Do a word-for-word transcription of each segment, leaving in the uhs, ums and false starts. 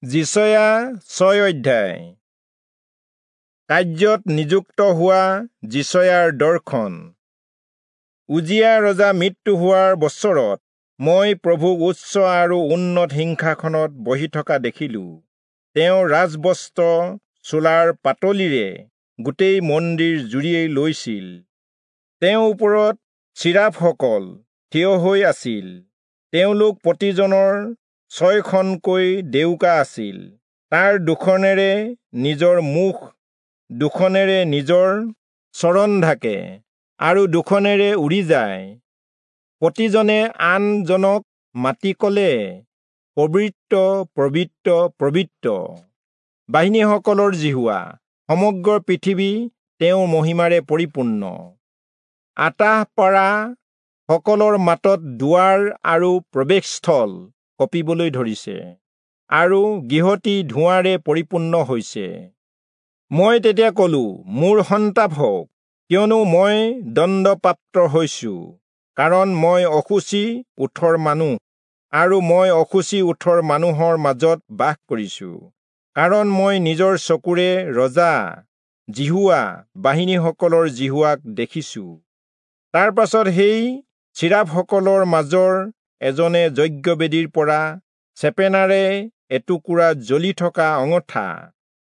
যিচয়া ছয় অধ্যায়। কাৰ্যত নিযুক্ত হোৱা যিচয়াৰ দৰ্শন। উজিয়া ৰজা মৃত্যু হোৱাৰ বছৰত মই প্ৰভুক উচ্চ আৰু উন্নত সিংহাসনত বহি থকা দেখিলো। তেওঁ ৰাজবস্ত্ৰ চোলাৰ পাতলিৰে গোটেই মন্দিৰ জুৰিয়েই লৈছিল। তেওঁৰ ওপৰত চিৰাফসকল থিয় হৈ আছিল। তেওঁলোক প্ৰতিজনৰ ছয়খনকৈ ডেউকা আছিল। তাৰ দুখনেৰে নিজৰ মুখ, দুখনেৰে নিজৰ চৰণ ঢাকে আৰু দুখনেৰে উৰি যায়। প্ৰতিজনে আনজনক মাতি কলে, পবিত্ৰ, পবিত্ৰ, পবিত্ৰ বাহিনীসকলৰ যিহোৱা, সমগ্ৰ পৃথিৱী তেওঁৰ মহিমাৰে পৰিপূৰ্ণ। আতাহ পৰা সকলৰ মাতত দুৱাৰ আৰু প্ৰৱেশস্থল কঁপিবলৈ ধৰিছে আৰু গৃহটি ধোঁৱাৰে পৰিপূৰ্ণ হৈছে। মই তেতিয়া কলো, মোৰ সন্তাপ হওক, কিয়নো মই দণ্ডপ্ৰাপ্ত হৈছো, কাৰণ মই অশুচি ওঁঠৰ মানুহ আৰু মই অশুচি ওঁঠৰ মানুহৰ মাজত বাস কৰিছো। কাৰণ মই নিজৰ চকুৰে ৰজা যিহোৱা, বাহিনীসকলৰ যিহোৱাক দেখিছো। তাৰ পাছত সেই চিৰাফসকলৰ মাজৰ এজনে যজ্ঞবেদীৰ পৰা চেপেনাৰে এটুকুৰা জ্বলি থকা অঙঠা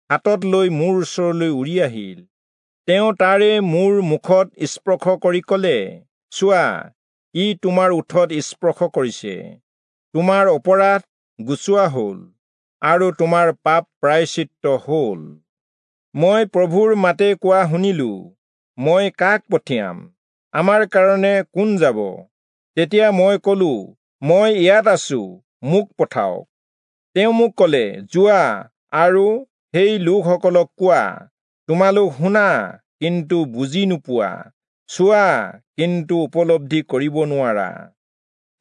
হাতত লৈ মোৰ ওচৰলৈ উৰি আহিল। তেওঁ তাৰে মোৰ মুখত স্পৰ্শ কৰি কলে, চোৱা, ই তোমাৰ ওঁঠত স্পৰ্শ কৰিছে, তোমাৰ অপৰাধ গুচোৱা হল আৰু তোমাৰ পাপ প্ৰায়শ্চিত্ত হল। মই প্ৰভুৰ মাতে কোৱা শুনিলো, মই কাক পঠিয়াম? আমাৰ কাৰণে কোন যাব? তেতিয়া মই কলো, মই ইয়াত আছো, মোক পঠাওক। তেওঁ মোক কলে, যোৱা আৰু সেই লোকসকলক কোৱা, তোমালোক শুনা কিন্তু বুজি নোপোৱা, চোৱা কিন্তু উপলব্ধি কৰিব নোৱাৰা।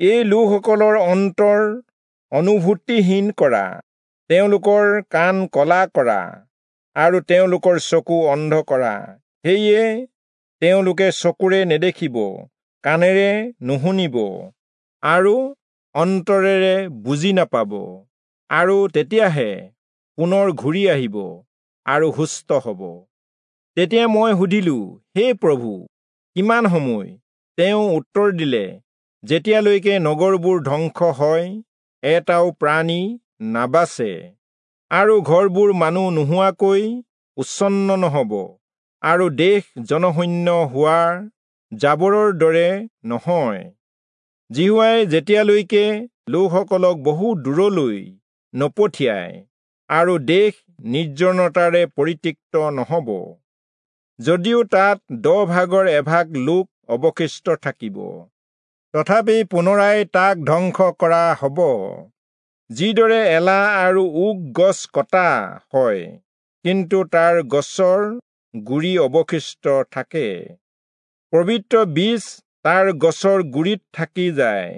এই লোকসকলৰ অন্তৰ অনুভূতিহীন কৰা, তেওঁলোকৰ কাণ কলা কৰা আৰু তেওঁলোকৰ চকু অন্ধ কৰা। সেয়ে তেওঁলোকে চকুৰে নেদেখিব, কাণেৰে নুশুনিব আৰু অন্তৰেৰে বুজি নাপাব, আৰু তেতিয়াহে পুনৰ ঘূৰি আহিব আৰু সুস্থ হ'ব। তেতিয়া মই সুধিলো, হে প্ৰভু, কিমান সময়? তেওঁ উত্তৰ দিলে, যেতিয়ালৈকে নগৰবোৰ ধ্বংস হয়, এটাও প্ৰাণী নাবাচে আৰু ঘৰবোৰ মানুহ নোহোৱাকৈ উচ্ছন্ন নহ'ব আৰু দেশ জনশূন্য হোৱাৰ জাবৰৰ দৰে নহয়। যিহোৱাই যেতিয়ালৈকে লোকসকলক বহু দূৰলৈ নপঠিয়ায় আৰু দেশ নিৰ্জনতাৰে পৰিত্যক্ত নহ'ব, যদিও তাত দহ ভাগৰ এভাগ লোক অৱশিষ্ট থাকিব, তথাপি পুনৰাই তাক ধ্বংস কৰা হ'ব। যিদৰে এলা আৰু ওক গছ কটা হয়, কিন্তু তাৰ গছৰ গুৰি অৱশিষ্ট থাকে, পবিত্ৰ বীজ তাৰ গছৰ গুৰিত থাকি যায়।